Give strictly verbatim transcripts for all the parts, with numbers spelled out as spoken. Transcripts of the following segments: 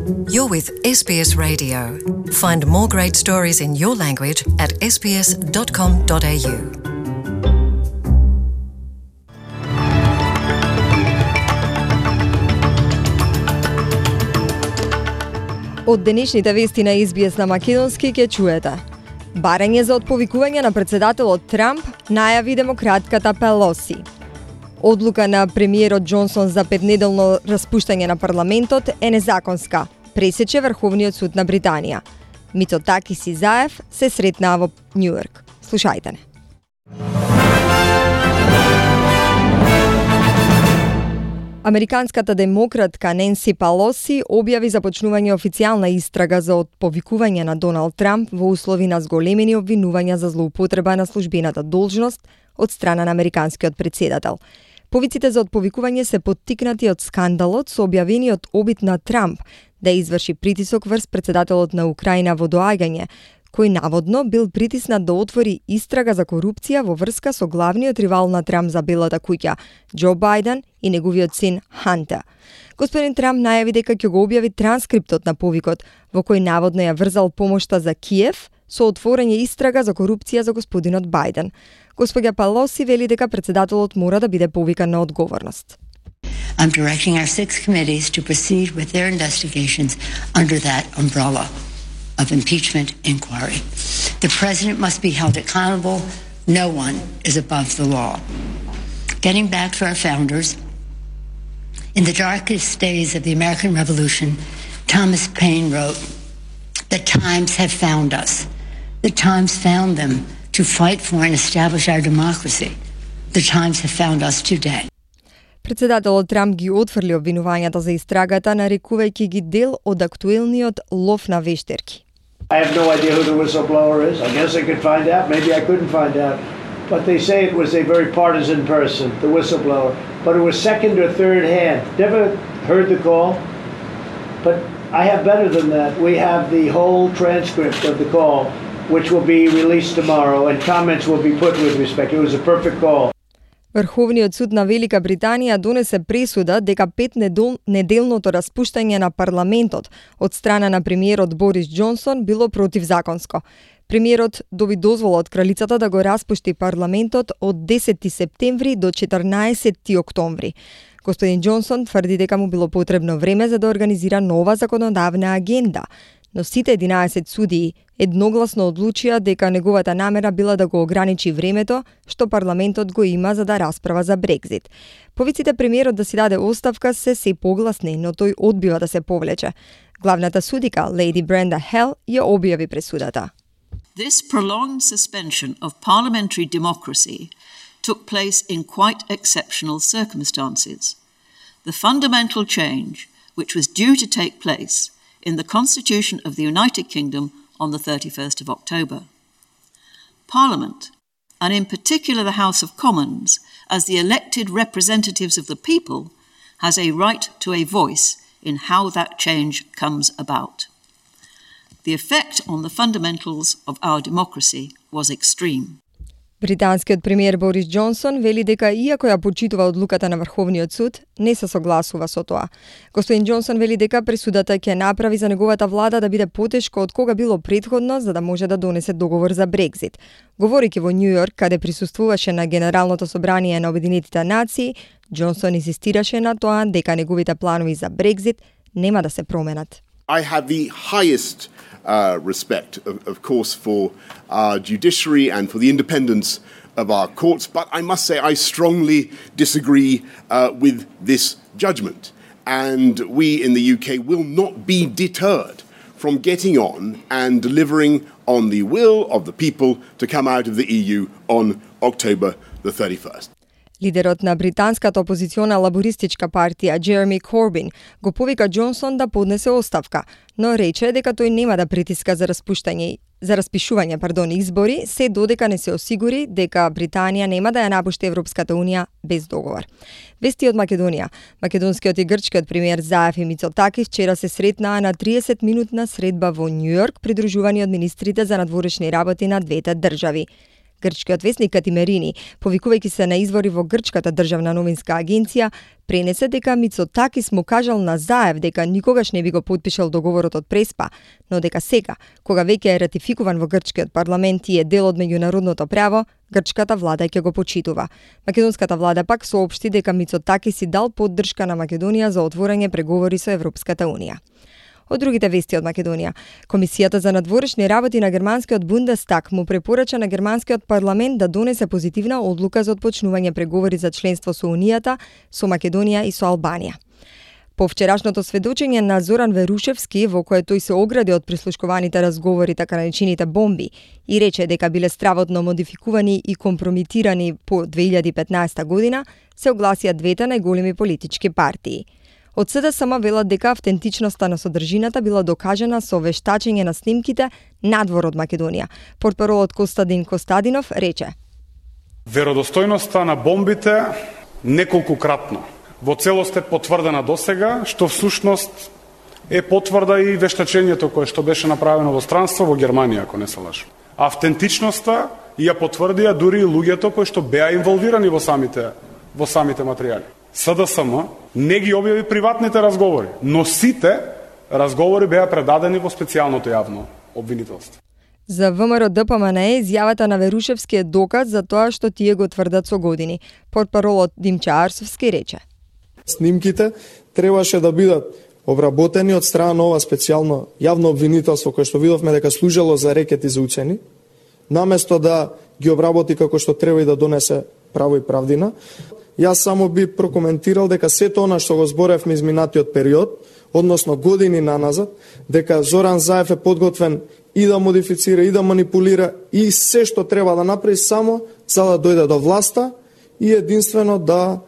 You're with S B S Radio. Find more great stories in your language at s b s dot com dot a u. Од денешните вести на С Б С на македонски ќе чуете. Барање за отповикување на председателот Трамп најави демократката Пелоси. Одлука на премиерот Џонсон за петнеделно распуштање на парламентот е незаконска, пресече Врховниот суд на Британија. Мицотакис и Заев се сретнаа во Њујорк. Слушајте не. Американската демократка Ненси Пелоси објави започнување официјална истрага за отповикување на Доналд Трамп во услови на зголемени обвинувања за злоупотреба на службената должност од страна на американскиот претседател. Повиците за отповикување се поттикнати од скандалот со објавениот обид на Трамп да изврши притисок врз председателот на Украина во доаѓање, кој наводно бил притиснат да отвори истрага за корупција во врска со главниот ривал на Трамп за Белата куќа, Џо Бајден и неговиот син Хантер. Господин Трамп најави дека ќе го објави транскриптот на повикот, во кој наводно ја врзал помошта за Киев со отворање истрага за корупција за господинот Бајден. Господја Пелоси вели дека председателот мора да биде повикан на одговорност. I'm directing our six committees to proceed with their investigations under that umbrella of impeachment inquiry. The president must be held accountable. No one is above the law. Getting back to our founders, in the darkest days of the American Revolution, Thomas Paine wrote, "The times have found us. The times found them to fight for and establish our democracy. The times have found us today." Председателот Трамп ги отфрли обвинувањата за истрагата, нарекувајќи ги дел од актуелниот лов на вештерки. I have no idea who the whistleblower is. I guess I could find out. Maybe I couldn't find out. But they say it was a very partisan person, the whistleblower. But it was second or third hand. Never heard the call. But I have better than that. We have the whole transcript of the call, which will be released tomorrow, and comments will be put with respect. It was a perfect call. Врховниот суд на Велика Британија донесе пресуда дека петнеделното распуштање на парламентот од страна на премиерот Борис Џонсон било противзаконско. Премиерот доби дозвола од кралицата да го распушти парламентот од десети септември до четрнаесетти октомври. Господин Џонсон тврди дека му било потребно време за да организира нова законодавна агенда, но сите единаесет судии едногласно одлучија дека неговата намера била да го ограничи времето што парламентот го има за да расправа за Брекзит. Повиците премиерот да си даде оставка се се погласни, но тој одбива да се повлече. Главната судика, Леди Бренда Хел, ја објави пресудата. This prolonged suspension of parliamentary democracy took place in quite exceptional circumstances. The fundamental change, which was due to take place in the Constitution of the United Kingdom on the thirty-first of October. Parliament, and in particular the House of Commons, as the elected representatives of the people, has a right to a voice in how that change comes about. The effect on the fundamentals of our democracy was extreme. Британскиот премиер Борис Џонсон вели дека иако ја почитува одлуката на Врховниот суд, не се согласува со тоа. Господин Џонсон вели дека пресудата ќе направи за неговата влада да биде потешко од кога било претходно за да може да донесе договор за Брекзит. Говорејќи во Њујорк, каде присуствуваше на Генералното собрание на Обединетите нации, Џонсон инсистираше на тоа дека неговите планови за Брекзит нема да се променат. I have the highest uh, respect, of, of course, for our judiciary and for the independence of our courts, but I must say I strongly disagree uh, with this judgment. And we in the U K will not be deterred from getting on and delivering on the will of the people to come out of the E U on October the thirty-first. Лидерот на британската опозициона лабористичка партија Джереми Корбин го повика Џонсон да поднесе оставка, но рече дека тој нема да притиска за распуштање за распишување, пардон, избори, се додека не се осигури дека Британија нема да ја напушти Европската унија без договор. Вести од Македонија. Македонскиот и грчкиот премиер Заев и Мицотакис вчера се сретнаа на триесет минутна средба во Њујорк, придружувани од министрите за надворешни работи на двете држави. Грчкиот весник Катимерини, повикувајќи се на извори во Грчката државна новинска агенција, пренесе дека Мицотакис му кажал на Заев дека никогаш не би го потпишал договорот од Преспа, но дека сега, кога веќе е ратификуван во грчкиот парламент и е дел од меѓународното право, грчката влада ќе го почитува. Македонската влада пак соопшти дека Мицотакис си дал поддршка на Македонија за отворање преговори со Европската унија. Од другите вести од Македонија, Комисијата за надворешни работи на германскиот Бундестаг му препорача на германскиот парламент да донесе позитивна одлука за отпочнување преговори за членство со Унијата, со Македонија и со Албанија. По вчерашното сведочење на Зоран Верушевски, во кое тој се огради од прислушкуваните разговори така наречените бомби и рече дека биле стравотно модификувани и компромитирани по две илјади и петнаесета година, се огласија двете најголеми политички партии. Од СДСМ велат дека автентичноста на содржината била докажана со вештачење на снимките надвор од Македонија. Портпаролот Костадин Костадинов рече: Веродостојноста на бомбите неколкукратно во целост е потврдена досега, што всушност е потврда и вештачењето кое што беше направено во странство во Германија, ако не се лажам. Автентичноста ја потврдија дури и луѓето кои што беа инволвирани во самите во самите материјали. СДСМ не ги објави приватните разговори, но сите разговори беа предадени во специјалното јавно обвинителство. За ВМРО Д П М Н Е изјавата на Верушевски е доказ за тоа што тие го тврдат со години. Портпаролот Димча Арсовски рече: Снимките требаше да бидат обработени од страна на ова специјално јавно обвинителство кое што видовме дека служило за рекет и за уцени, наместо да ги обработи како што треба и да донесе право и правдина. Јас само би прокоментирал дека сето она што го зборевме изминатиот период, односно години наназад, дека Зоран Заев е подготвен и да модифицира, и да манипулира, и се што треба да направи само за да дојде до власта и единствено да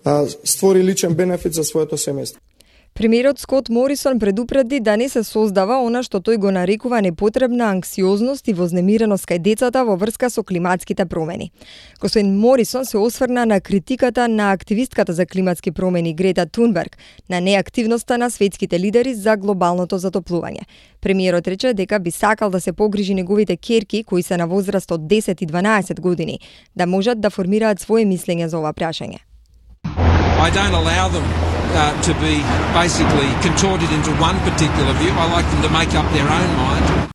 а, створи личен бенефит за своето семејство. Премиерот Скот Морисон предупреди да не се создава она што тој го нарекува непотребна анксиозност и вознемиреност кај децата во врска со климатските промени. Господин Морисон се осврна на критиката на активистката за климатски промени Грета Тунберг на неактивноста на светските лидери за глобалното затоплување. Премиерот рече дека би сакал да се погрижи неговите ќерки, кои се на возраст од десет и дванаесет години, да можат да формираат свое мислење за ова прашање. I don't allow them uh, to be basically contorted into one particular view. I like them to make up their own mind.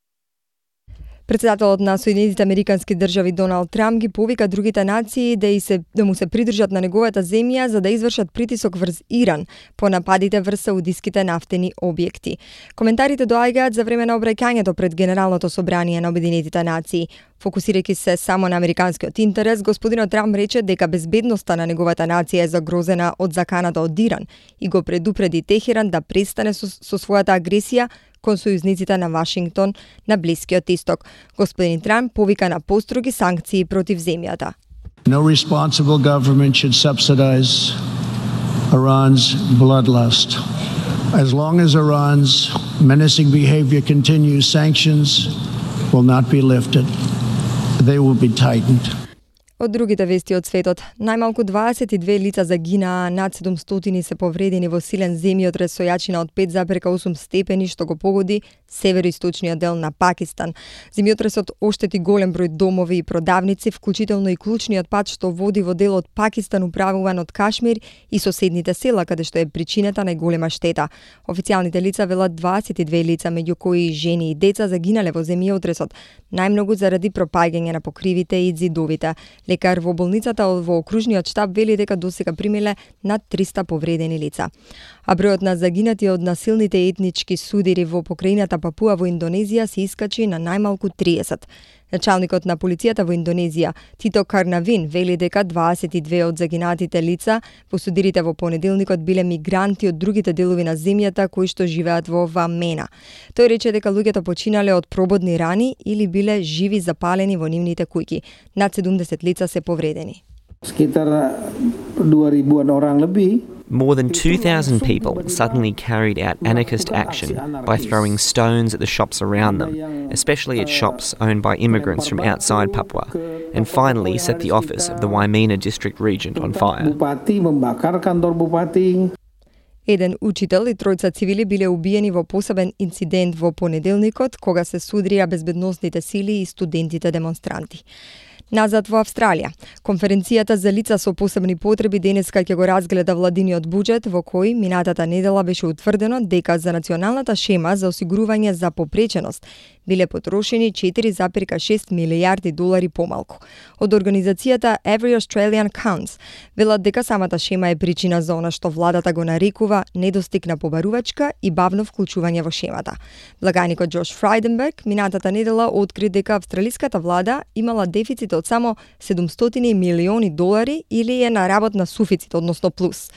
Председателот на Соединетите Американски држави Доналд Трамп ги повика другите нации да, и се, да му се придржат на неговата земја за да извршат притисок врз Иран по нападите врз саудиските нафтени објекти. Коментарите доаѓаат за време на обраќањето пред Генералното собрание на Обединетите нации. Фокусирајќи се само на американскиот интерес, господинот Трамп рече дека безбедноста на неговата нација е загрозена од заканата од Иран и го предупреди Техеран да престане со, со својата агресија кон сојузниците на Вашингтон на Блискиот Исток. Господин Трамп повика на построги санкции против земјата. No responsible government should subsidize Iran's bloodlust. As long as Iran's menacing behavior continues, sanctions will not be lifted. They will be tightened. Од другите вести од светот, најмалку дваесет и две лица загинаа, над седумстотини се повредени во силен земјотрес со јачина од пет зарез и осум степени што го погоди североисточниот дел на Пакистан. Земјотресот оштети голем број домови и продавници, вклучително и клучниот пат што води во делот Пакистан управуван од Кашмир и соседните села каде што е причината најголема штета. Официјалните лица велат дваесет и две лица, меѓу кои жени и деца, загинале во земјотресот, најмногу заради пропаѓање на покривите и ѕидовите. Лекар во болницата во окружниот штаб вели дека досега примиле над триста повредени лица. А бројот на загинати од насилните етнички судири во покрајината Папуа во Индонезија се искачи на најмалку триесет. Началникот на полицијата во Индонезија, Тито Карнавин, вели дека дваесет и две од загинатите лица во судирите во понеделникот биле мигранти од другите делови на земјата кои што живеат во Вамена. Тој рече дека луѓето починале од прободни рани или биле живи запалени во нивните куќи. Над седумдесет лица се повредени. More than two thousand people suddenly carried out anarchist action by throwing stones at the shops around them, especially at shops owned by immigrants from outside Papua, and finally set the office of the Waimena district regent on fire. Еден учител и тројца цивили биле убиени во посебен инцидент во понеделникот, кога се судрија безбедносните сили и студентите демонстранти. Назад во Австралија. Конференцијата за лица со посебни потреби денеска ќе го разгледа владиниот буџет, во кој минатата недела беше утврдено дека за националната шема за осигурување за попреченост биле потрошени четири зарез и шест милијарди долари помалку. Од организацијата Every Australian Counts велат дека самата шема е причина за она што владата го нарекува недостиг на побарувачка и бавно вклучување во шемата. Благаникот Джош Фрајденберг минатата недела откри дека австралиската влада имала дефицит од само седумстотини милиони долари или е на работна суфицит, односно плюс.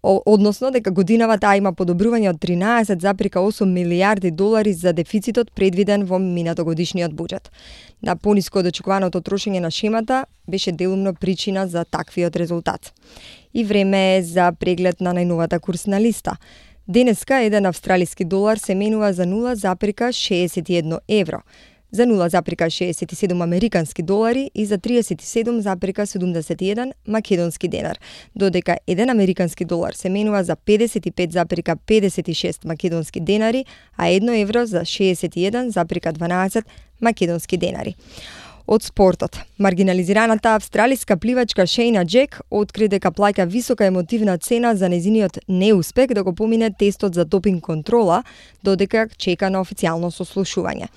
Односно дека годинава таа има подобрување од тринаесет зарез и осум милијарди долари за дефицитот предвиден во минатогодишниот буџет. На пониско од очекуваното трошење на шемата беше делумно причина за таквиот резултат. И време е за преглед на најновата курсна листа. Денеска еден австралиски долар се менува за нула зарез шеесет и едно евро, за нула зарез шеесет и седум американски долари и за триесет и седум зарез седумдесет и еден македонски денар, додека еден американски долар се менува за педесет и пет зарез педесет и шест македонски денари, а едно евро за шеесет и еден зарез дванаесет македонски денари. Од спортот. Маргинализираната австралиска пливачка Шејна Джек откри дека плаќа висока емотивна цена за нејзиниот неуспех да го помине тестот за допинг контрола, додека чека на официјално сослушување.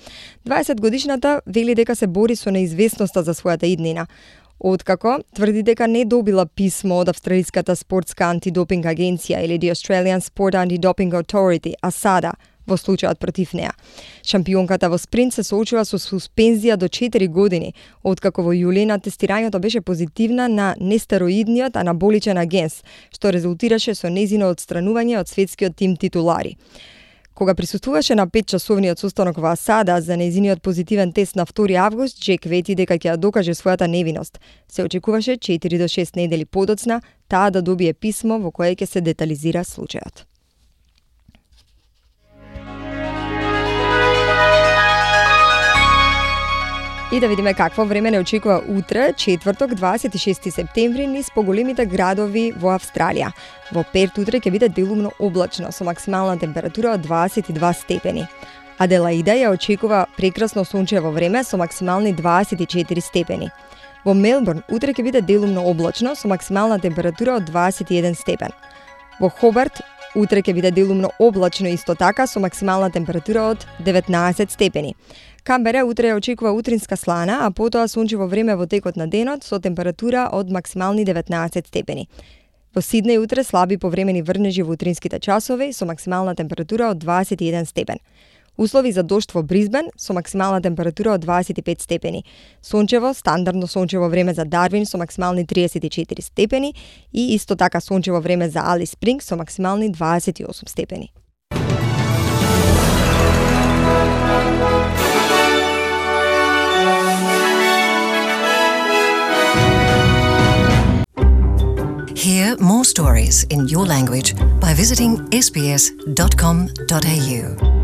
дваесетгодишната вели дека се бори со неизвестноста за својата иднина. Откако тврди дека не добила писмо од австралиската спортска антидопинг агенција или The Australian Sport Anti-Doping Authority, АСАДА, во случајот против неа. Шампионката во спринт се соочува со суспензија до четири години, откако во јули на тестирањето беше позитивна на нестероидниот анаболичен агенс, што резултираше со нејзино отстранување од светскиот тим титулари. Кога присуствуваше на петчасовниот состанок во АСАДА за нејзиниот позитивен тест на втори август, Джек вети дека ќе ја докаже својата невиност. Се очекуваше четири до шест недели подоцна таа да добие писмо во кое ќе се детализира случајот. И да видиме какво време не очекува утре, четврток, дваесет и шести септември, низ поголемите градови во Австралија. Во Перт утре ќе биде делумно облачно, со максимална температура од дваесет и два степени. Аделаида ја очекува прекрасно сончево време со максимални дваесет и четири степени. Во Мелбурн утре ќе биде делумно облачно, со максимална температура од дваесет и еден степен. Во Хобарт утре ќе биде делумно облачно исто така, со максимална температура од деветнаесет степени. Камбера утре ја очекува утринска слана, а потоа сончево време во текот на денот со температура од максимални деветнаесет степени. Во Сиднеј утре слаби повремени врнежи во утринските часови со максимална температура од дваесет и еден степен. Услови за дожд во Брисбен со максимална температура од дваесет и пет степени. Сончево, стандардно сончево време за Дарвин со максимални триесет и четири степени и исто така сончево време за Алис Спрингс со максимални дваесет и осум степени. Hear more stories in your language by visiting s b s dot com dot a u.